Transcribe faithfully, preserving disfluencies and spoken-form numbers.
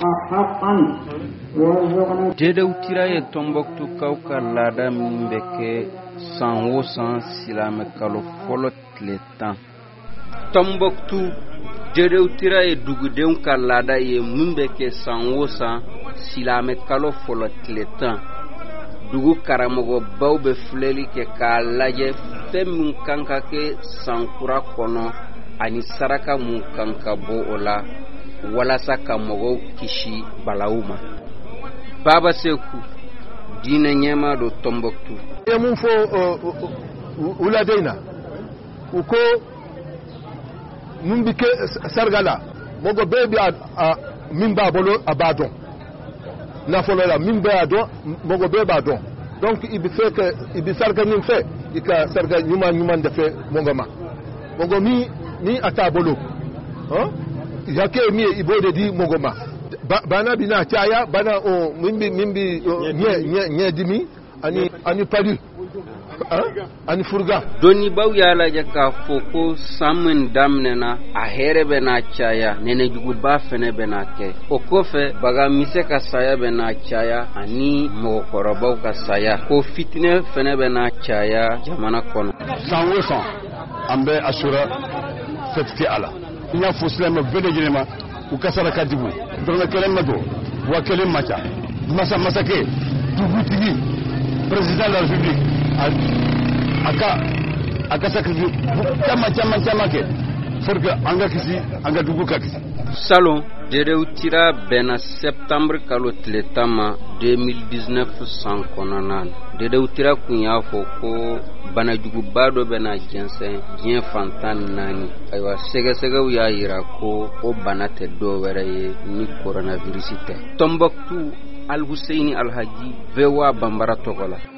حقا وارزقنا Dedew tira ye Tɔnbɔkutukaw ka laada min bɛ kɛ san o san silamɛ kalo fɔlɔ tile tan. Tɔnbɔkutu, Dedew tira ye dugudenw ka laada ye min bɛ kɛ san o san silamɛ kalo fɔlɔ tile tan. Dugu karamɔgɔbaw bɛ filɛli kɛ k'a lajɛ fɛn min kan ka kɛ san kura kɔnɔ ani saraka mun kan ka bɔ o la walasa ka mɔgɔw kisi balawu ma. Baba Seku, diinɛ ɲɛmaa don Tɔnbɔkutu. I ye mun fɔ wuladen in na, u ko mun bi kɛ saraka la, mɔgɔ bɛɛ bi a min b'a bolo, a b'a dɔn nafolo la, min b'a dɔn, mɔgɔ bɛɛ b'a dɔn. Donc i bɛ fɛ ka i bɛ saraka min fɛ, i ka saraka ɲuman ɲuman de fɛ mɔgɔ ma, mɔgɔ min ni a t'a bolo, hakɛ ye min ye, i b'o de di mɔgɔ ma. Bana bɛ na caya, bana o min bi min bi ɲɛ ɲɛ ɲɛdimi ani ani palu ani furuga. Dɔnnibaw y'a lajɛ k'a fɔ ko san min daminɛna, a hɛrɛ bɛ n'a caya, nɛnɛjuguba fɛnɛ bɛ n'a kɛ. O kɔfɛ, bagamisɛ ka saya bɛ n'a caya ani mɔgɔkɔrɔbaw ka saya, ko fitinɛ fɛnɛ bɛ n'a caya jamana kɔnɔ. San o san, an bɛ Asura fête kɛ a la. N y'a fɔ silamɛ bɛɛ lajɛlen ma, u ka saraka di, dɔrɔmɛ kelen ma don, wa kelen ma ca. Masa masakɛ, dugutigi, président de la République, a ka a ka sacrifice caman caman caman kɛ pour que an ka kisi, an ka dugu ka kisi. Salon, Dedew tira bɛnna septembre kalo tile tan ma deux mille dix-neuf san kɔnɔna na. Dedew tira kun y'a fɔ ko banajuguba dɔ bɛna jɛnsɛn diɲɛ fantan naani. Ayiwa, sɛgɛsɛgɛw y'a yira ko o bana tɛ dɔ wɛrɛ ye ni coronavirus tɛ. Tɔnbɔkutu, Alhuseini Alhaji, V O A Banbara tɔgɔ la.